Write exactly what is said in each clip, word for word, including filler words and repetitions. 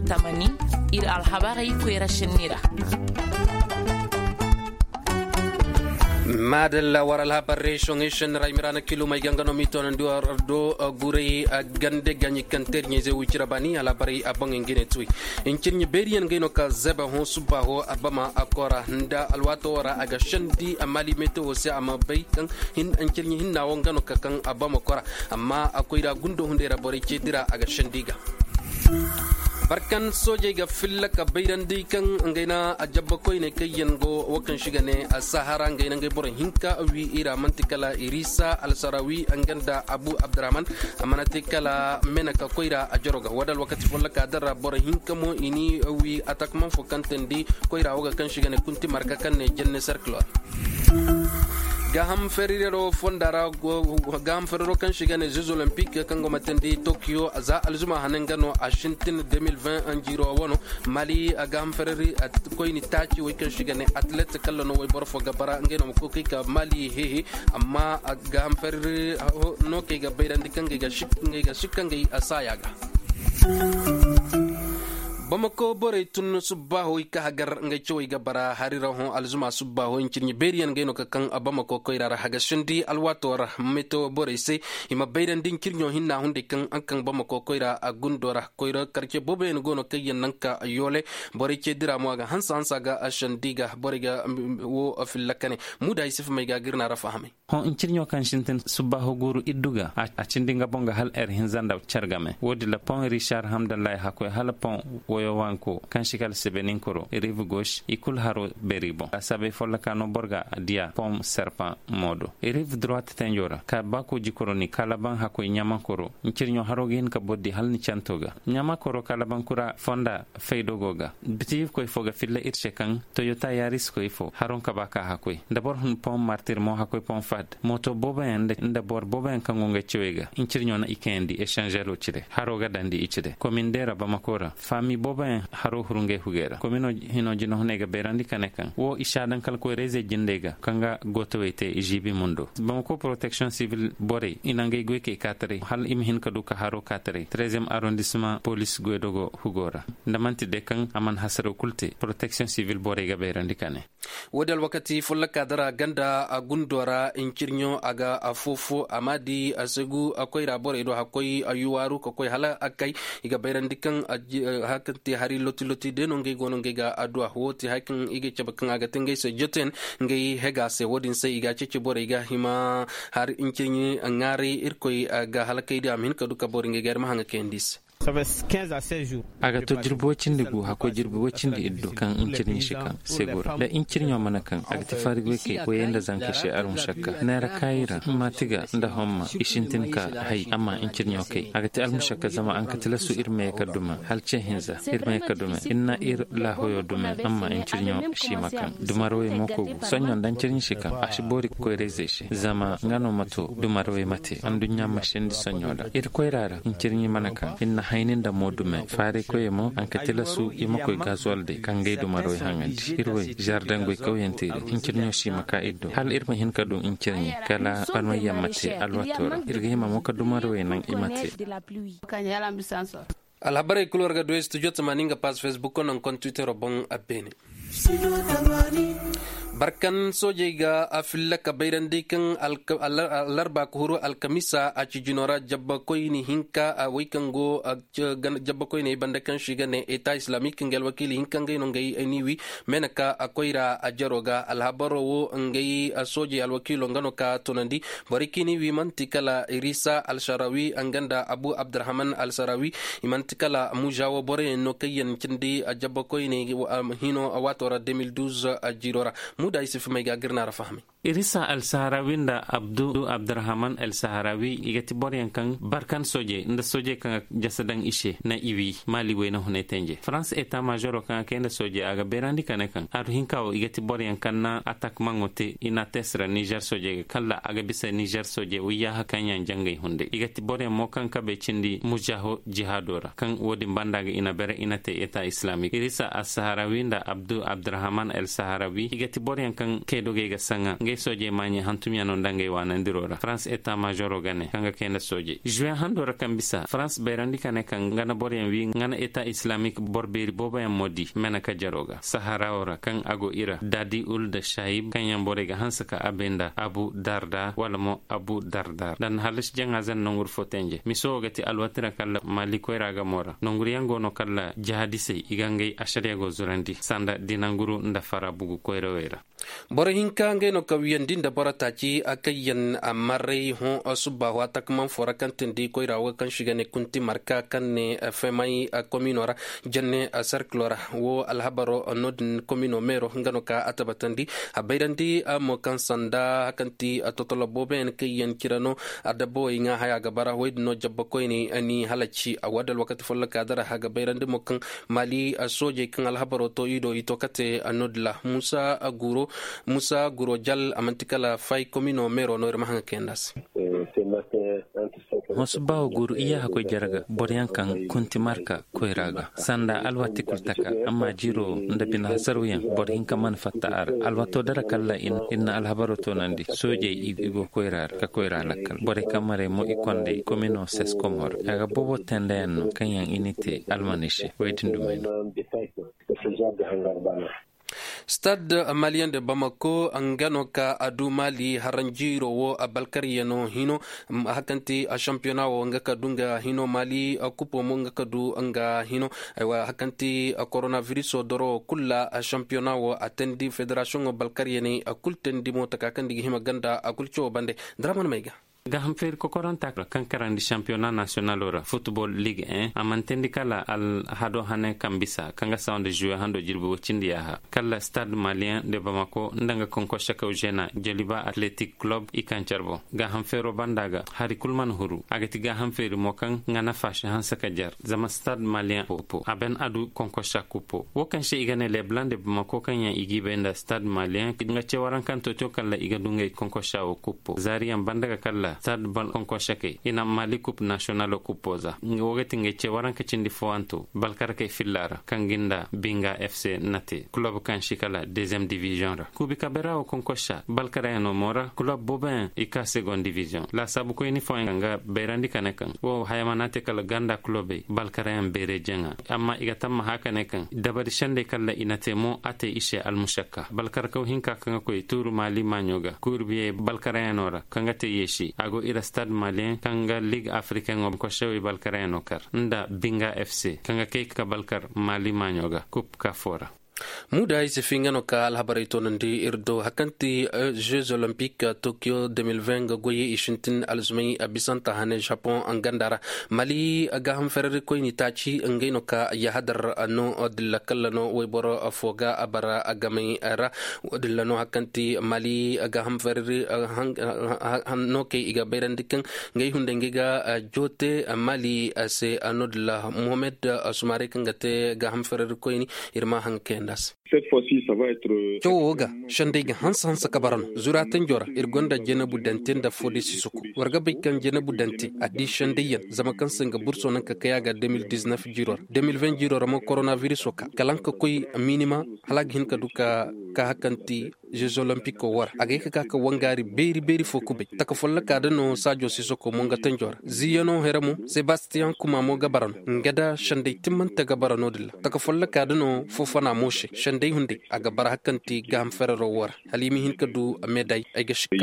Tamani, ir alhabarey koyra šenni ra. Maadalla war alhabar resoŋey šenni ra i ma ra na kilumey ga nga no m'i toonandi war do guray gande ga ɲi kaŋ terɲey zey wicira baani alhabarey a boŋey nga ne tuwey. Ncirɲi beeriyaŋ gay no ka zebe hõ subbaaho abama a kora nda alwaato wo ra a ga sendi a maali metewo se a ma bay kaŋ ncirɲi hinna wo nga no ka kaŋ abama kora. Amma a koyra gundo hunday ra borey ceedi ra a ga sendi ga. Barkan soojey ga filla ka bayrandi kaŋ ngey na a jabba koyney kaŋ yaŋ go wo kaŋ si ga ne a sahara ngey na ngey boro hinka wi i ra manti kala irisa alsarawi nga nda abu abdurahman. A mana te kala mena ka koyra a jaro ga wala alwakati folloka din ra boro hinka mo i ni wi atakman fo kaŋ teendi koyra wo ga kaŋ si ga ne kunti marka kaŋ ne jenne serkilor. Gaaham ferrero fonda ra gaaham ferrero kaŋ si ga ne jeux olympique kaŋ go ma teendi tokyo za alzuma hane nga no a sintin deux mille vingt anjiro wano. Mali a gaaham ferreri koyni taaci wey kaŋ si ga ne atlet kalla no wey boro fo ga bara ngey no ma koy ka mali hehe. Amma a gaaham ferreri no kay ga bayrandi kaŋ ngey ga sikka ngey a saaya ga. Bamako borey tun subbaaho i ka hagar ngey cawey ga bara hari ra hõ alzuma subbaaho ncirɲi beeriyaŋ ngey no ka kaŋ bamako koyra ra hagasindi alwaato ra meto borey se. I ma bayrandi ncirɲo hinna hunday kaŋ a kaŋ bamako koyra a gundo ra koyra karce booboyaŋ go no kaŋ yaŋ naŋ ka yoole. Borey ce dira mo a ga hansa hansa ga a sandi ga borey ga wo filla kane. Muda isif may ga ga ir na ra fahamay. Hõ ncirɲo kaŋ sintin subbaaho guuru iddu ga a cindi nga boŋ ga hala er hinza nda car game wo-din ra pon richard hamdallahi hakkoy hala pon woyowanko kaŋ si kala sebeninkoro rive gauche i kulu haro beeri boŋ a sabay folloka no boro ga diya pon serpent moodo rive droite tenjo ra ka ba kooji koro ni kalaban hakkoy ɲamakoro. Ncirɲo haro ga hin ka boro di hala ni canto ga ɲamakoro kalaban kura fonda faydogo ga. Biti irkoy fo ga filla ir se kaŋ toyota yaris koy fo haroŋ ka ba ka hakkoy nda boro hun pon martir mo hakkoy pon fad mooto booboyaŋ nda boro booboyaŋ kaŋ go ngey cawey ga ncirɲo na i kayandi esanzero cire haro ga dandi i cire komin deera bamako ra faami booboyaŋ haro huru ngey hugey ra komino hino jinahuney ga bayrandi ka ne kaŋ wo i si a daŋ kala koy reeze jindey ga kaŋ ga gootowey te i ziibi mundo bamako protection sivil borey i na ngey goy kay kaataray hala i ma hin ka du ka haro kaataray treziyem arondisma polis goydogo hugo ra. Nda man'ti day kaŋ a mana hasaraw kulu te protection sivil borey ga bayrandi ka ne. Wo-din alwakati folloka dara ganda a gundo ra ncirɲo a ga a foofo a ma di a segu a koyra borey do hakkoy a yuwaaru ka koy hala a kay. I ga bayrandi kaŋ a kaŋ te hari loti loti day no ngey go no ngey ga adduwa wo te hari kaŋ i ga cabe kaŋ a ga te ngey se joten ngey hega se wo-din se i ga a ceeci borey ga hima. Hari ncirɲi ŋaaray irkoy ga halakayndi a ma hin ka du ka boro ngey ga ir ma haŋa kayandi i se. A ga to jirbi woy cindi gu hakkoy jirbi woy cindi iddo kaŋ ncirɲi si kaŋ segu ra da ncirɲo mana kaŋ a ga ti fari goy kay koyey nda zankey se almušakka neera kaayi ra maati ga nda homma i sintin ka hay amma ncirɲo kay a ga ti almušakka zama a nga tilasu ir ma ye ka duma hala ce hinza ir ma ye ka duma ir na ir laahoyo duma amma ncirɲo si ma kaŋ dumarawey mo kogu soɲo nda ncirɲi si kaŋ a si boori koyra-izey se zama nga no ma to dumarawey ma te anduɲɲa ma sendi soɲo da ir koyra ra ncirɲi mana kaŋ ir na hayni nda mo dume faaraykoyey mo a nga tilasu i ma koy gazuwal day ka ngey dumarawey haŋandi ir wey zardangoy kawyante ra ncirɲo si ma ka ir do hala ir ma hin ka du ncirɲi kala banwayyaŋ ma te alwaato ra ir ga hima mo ka dumarawey naŋ i ma te. Alhabarey kulu war ga du studio tamaani nga pass facebook naŋ kon twittero boŋ a beene. Barkan soojey ga a filla ka bayrandi kaŋ alarba ka huru alkamisa a ci jino ra jabbakoyni hinka a way kaŋ go jabbakoyney banda kaŋ si ga ne eta islamik nga alwakiili hinka ngey no ngey ni wi. Mena ka a koyra a jaro ga alhabaro wo ngey soojey alwakiilo nga no ka tunandi. Borey kaŋ i ni wi manti kala irisa alsarawi nga nda abu abdurahman alsarawi. I manti kala mužawa boroyaŋ no kaŋ yaŋ cindi jabbakoyney hino waato ra deux mille douze. Jiiro ra muda isif may ga gir na ra fahamay. Irisa alsaharawi nda abdu abdurahman alsaharawi i ga ti boroyaŋ kaŋ barkan soojey nda soojey kaŋ ga jasa daŋ i se na i wi maali wayna hunay tenje farans eta mažoro kaŋ a kay nda soojey a ga beerandi ka ne kaŋ aru hinka wo i ga ti boroyaŋ kaŋ na atak maŋo te i na a te sira nizer soojey ga kalla a ga bisa nizer soojey wayyaha kaŋ yaŋ jangay hunday i ga ti boroyaŋ mo kaŋ kabey cindi mužaho jihaado ra kaŋ wo-din banda ga i na bere i na te eta islamik irisa alsaharawi nda abdu abdurahman alsaharawi i ga ti boro Yaŋ kaŋ kaydogey ga saŋa ngey soojey maaɲey hantumyaŋo nda ngey waanandiroo ra farans eta maazoroo ga ne kaŋ ga kay nda soojey žuwe handoo ra kaŋ bisa farans bayrandi ka ne kaŋ nga na boroyaŋ wii nga na eta islamik boro beeri booboyaŋ mo di meneka jaroo ga saharaawoo ra kaŋ a go i ra daadi ul nda saayib kaŋ yaŋ borey ga hanse ka abey nda abu darda wala mo abu dardar nda na hallasi jaŋaaze nda nonguru fo tenje miso wo ga ti alwati ra kalla maali koyra ga mo ra nonguru yaŋ go no kalla jahadisey i ga ngey ašariya go zurandi sanda dinanguru nda fara bugu koyrawey ra. Boro hinka ngey no ka wiyandi nda boro taaci a kaŋ yaŋ a marray hõ subbaahu a takamaŋ foo ra kaŋ tindi koyra wo kaŋ se i ga ne kunti marka kaŋ ne femay komino ra janne serkilo ra wo alhabaro no-din komino meero nga no ka a tabatandi a bayrandi mo kaŋ sanda kaŋ ti totolo booboyaŋ kaŋ yaŋ cire no adabawey ŋaa haya ga bara wey din no jabba koyney ni halaci a wo- din alwakati folloka dara a ga bayrandi mo kaŋ maali soojey kaŋ alhabaroo to i do i to kate no-din ra muusa guro muusa guro jal a man'ti kala fay komino meero no ir ma haŋa kayandi a se. Hõ subbaaho guuru iyaaha koy jare ga boroyaŋ kaŋ kunti marka koyra ga sanda alwati kul taka amma jiiroo nda bine hasarwyaŋ boro hinka mana fatta a ra alwato dara kalla ir na alhabaroo toonandi soojey i go koyra ra ka koyra lakkal borey kaŋ marey mo i kondey komino seskomor a ga boobo tendeyaŋ no kaŋ yaŋ i n'i te almaney se wey din dumey no. Stade malien de bamako nga no ka a du mali haranjiiro wo a balkaryanoo hino. Hakanti a shampiyona wo nga ka du nga hino mali kupo mo nga ka du nga hino. Hakanti koronaviriso doro kulla a shampiyona wo a tandi federasiyoŋo balkaryaney a kul tandi mo taka kaŋ di ga hima ganda a kul cawo bande. Daraman may ga. Gaaham feeri kokoranta kaŋ karandi shampiyona nasiyonalo ra futbol lig en a mantendi kala alhado hane kaŋ bisa kaŋ ga sawa nda žuwe hando jirbi woy cindi yaaha kala stade malien de bamako nda nga konkorsakaw žena joliba atletik kulob i kaŋ care boŋ. Gaaham feero banda ga hari kul mana huru a ga ti gaaham feeri mo kaŋ nga nafa si hanse ka jar zama stade malien popo a ben a du konkorsa kupo wo kaŋ se i ga ne leblan de bamako kaŋ yaŋ i g'i bay nda stade malien nga ce warankanto to kala i ga du ngey konkorsa wo kupo zaariyaŋ banda ga kala stade bal konkorsakey i na mali kup nasiyonalo kupo za. Wo ga ti ngey ce waranka cindi fooyanto balkarakey filla ra kaŋ ga nda binga fc na te kulob kaŋ si kala deziyem diviziyoŋ ra kuubi kabera wo konkorsa balkarayaŋo mo ra kulob booboyaŋ i ka segon diviziyoŋ laasaabu koyni fooyaŋ kaŋ ga bayrandi ka ne kaŋ wo haya mana te kala ganda kulobey balkarayaŋ beere jaŋa. Amma i ga tammaha ka ne kaŋ dabari sendey kala i na te mo a te i se almusakka balkarkaw hinka kaŋ ga koy tuuru maali maaɲo ga kuurbiyey balkarayaŋo ra kaŋ ga te yeesi a go ira stade maliyeŋ kaŋ ga lig afrikaŋo kosewey balkarayaŋo kar nda binga fc kaŋ ga kay ka balkar maali maaɲo ga kup ka foo ra. Muuda ay si fi nga no ka alhabarey toonandi ir do hari kaŋ ti jeux olympique tokyo deux mille vingt ga goy i sintin alzumay bisanta hane japon ganda ra. Mali gaaham fererikoyni taaci ngey no ka yahadar no dilla kalla no wayboro fo ga bara gamay ra. Dilla no hari kaŋ ti mali gaaham fereri no kay i ga bayrandi kaŋ ngey hunday ngey ga joote mali se no dilla mohamed sumare kaŋ ga te gaaham fererikoyni. Ir ma haŋ kayandi a se. Cawo wo ga sendey ga hanse hanse ka bara no zura tanjo ra ir gonda jenebu dante nda fo day sisoko. War ga bay kaŋ jenebu dante a di sendey yaŋ zama kaŋ se nga burso naŋ ka kay a ga deux mille dix-neuf jiiro ra deux mille vingt jiiro ra mo koronaviriso ka kala nga ka koy minima hala a ga hin ka du ka ka hari kaŋ ti jeux olympique wo ra a ga ye ka ka ka wangaari beeri beeri fo kubay taka folloka da no saajo sisoko mo nga tanjo ra ziiyano here mo sebastiyan kuma mo ga bara no nga da sendey timmante ga bara no din ra taka folloka da no foofana mo se sendey hunday a ga bara hari kaŋ ti gaaham ferero wo ra hala i ma hin ka du meday ay ga sikka.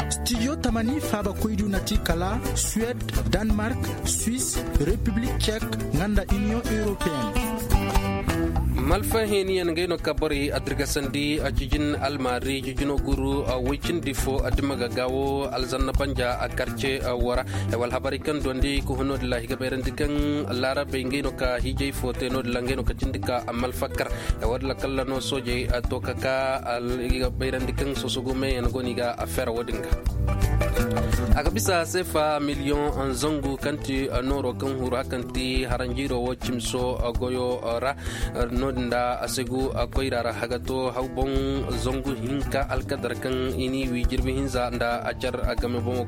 Studio tamani faabakoydiyo na ti kala suwed, danmark, suis, repiblik cek, nga nda iniyoŋ europeen. Malfa heeniyaŋ ngey no ka borey a dirgasandi a jijin almaari jijino guru woy cindi fo a dima ga gaawo alzanna banja a karce wara. Wala habaray kaŋ dondi ka hun no din ra i ga bayrandi kaŋ laarabey ngey no ka hiijay fo te no din ra ngey no ka cindi ka malfa kar. Wala kalla no soojey to ka ka i ga bayrandi kaŋ sosogu meeyaŋ go no i ga a fera wo- din ga. A ga bisa sefa miliyoŋ zangu kaŋ ti nooro kaŋ huru a kaŋ ti haranjiiro wo cimso goyo ra. No- din da a segu koyra ra haga to hawboŋ zangu hinka alkadar kaŋ i n'i wi jirbi hinza nda a car game boŋo.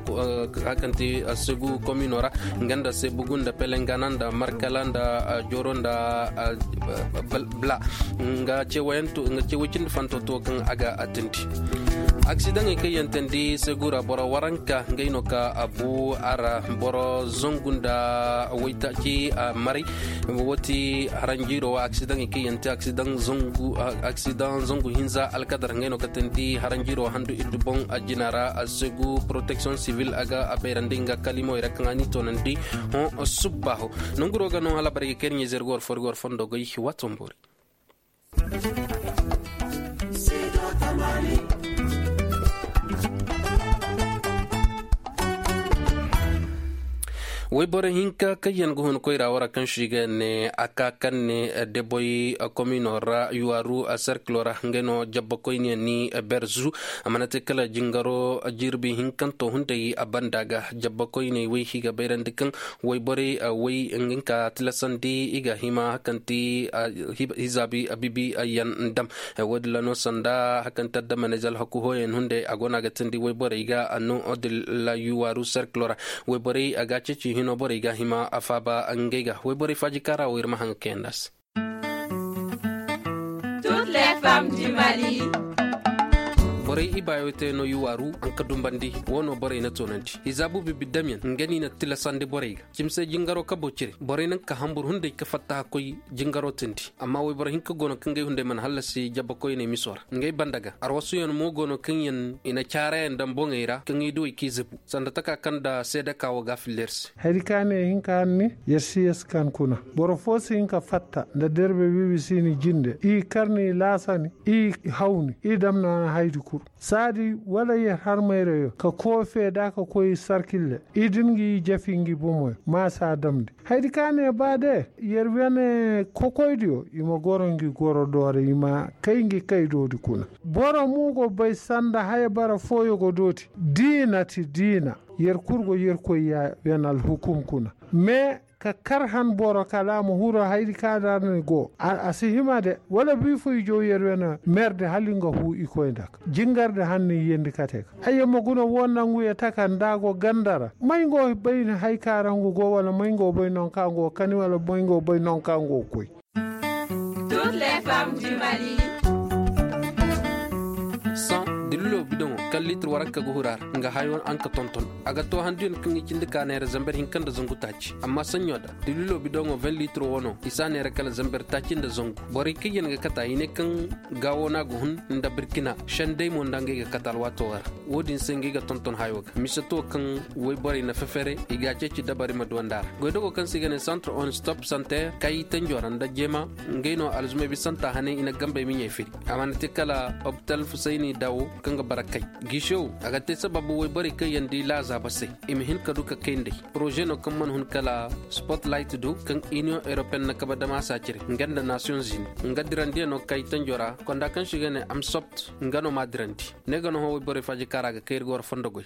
A kaŋ ti segu komino ra nga nda sebugu nda pelengana nda markala nda joro nda bla nga ceeway cindi fanto to kaŋ a ga a tindi. Aksidaŋey kaŋ yaŋ tindi segura boro waranka ngey no ka a bu a ra boro zangu nda waytaaci maray. Wo ti haranjiiro wa aksidaŋey kaŋ yaŋ te aksidaŋ zangu hinza alkadar ngey no ka tindi haranjiiro handu iddu boŋ a jina ra a segu protection civil a ga a bayrandi nga kalimowey ra kaŋ a n'i toonandi. Hõ subbaaho nonguro ga no hala barey ga kayri ɲayzey ra ga war fo ra ga war fondo goy. Waato ma boori. Woyboro hinka kaŋ yaŋ ga hun koyra wara kaŋ se i ga ne a ka kaŋ ne deboy komino ra yuwaru serkilo ra ngey no jabbakoyne ni berzu. A mana te kala jingaro jirbi hinkanto hunday a banda ga jabbakoyney wey i ga bayrandi kaŋ woyborey wey nga ka tilasandi i ga hima hakanti hizaabi bibi yaŋ dam. Wo- din ra no sanda hakanti addamaney za alhaku hooyaŋ hunday a go no a ga tindi woyborey ga no- din ra yuwaaru serkilo ra woyborey a ga a ceeci hino borey ga hima a faaba ngey ga woyborey faaji kaara wo ir ma haŋ ga kayandi a se. Borey ibaayo te no i waaru haŋ ka dumbandi wo no borey na toonandi i zaabu bibi damyaŋ nga no i na tilasandi borey ga cimi se jingaro kabo cire borey naŋ ka hambur hunday ka fatta hakkoy jingaro tindi. Amma woyboro hinka go no kaŋ ngey hunday mana hallasi jabbakoyney miso ra ngey banda ga arwasuyaŋ mo go no kaŋ yaŋ i na caarayaŋ daŋ boŋey ra kaŋ i duwey k'i zibu sanda taka kaŋ nda seedeka wo ga a filla ir se. Hari ka ne hinka hanni yer si yer si kan kuna boro foo si hin ka fatta nda derbe bibi si ni jinde i kar ni laasa ni i haw ni i dam no a na haydi kul saadi wala yer har mayrayo ka koofe da ka koy sarkille i din ngi jafi ngi bomoyo ma si a damndi. Haydi ka ne ba de yer wene kokoydiyo i ma goro ngi goro doora i ma kay ngi kay doodi kuna. Boro mo go bay sanda haya bara fooyo go dooti diina ti diina. Yer kul go yer koy ya wen alhukum kuna me ka kar han boro kala a ma huru hayri ka dar ni go a si hima de wala bi fo i jow yer wen mer de hala nga hu i koy nda ka jingar de han ni yendi kate ka ay yer ma guna wo nangu ye taka nda go ganda ra may ngo bay ni hay ka ra ngu go wala may ngo bay non ka ngo kani wala may ngo bay non ka ngo koy. San dililo bidoŋo kaŋ litir waranka ga huru a ra nga hayo a nga tonton a ga to handuyaŋ kaŋ i cindi ka neera zamber hinka nda zangu taaci amma saɲɲo da dililo bidoŋo vingt litiro wano i si a neera kala zamber taaci nda zangu. Borey kaŋ yaŋ ga kata i ne kaŋ gaawo no a ga hun nda birkina sendey mo nda ngey ga kata alwaato ga ra. Wo-din se ngey ga tonton hayo ga mise to kaŋ woyborey na fefere i ga a ceeci dabari ma duwandi a ra. Goydogo kaŋ se i ga ne centre on stop santer kay tanjo ra nda jeema ngey no alzumay bisanta hanay i na gambey miɲey firi. A mana te kala opital fusayni dawo kaŋ ga bara kay. Giisew a ga te sababu woyborey kaŋ yaŋ di laazaaba se i ma hin ka du ka kay nd'ey. Poroze no kaŋ mana hun kala spotlight do kaŋ iniyoŋ europeyen na kabe dama saaciri nga nda nasiyoŋ zini nga dirandiyaŋo kay tanjo ra konda kaŋ se i ga ne amsopt nga no m'a dirandi. Ne ga no hõ woyborey faaji kaŋ ra a ga kay ir ga war fondo goy.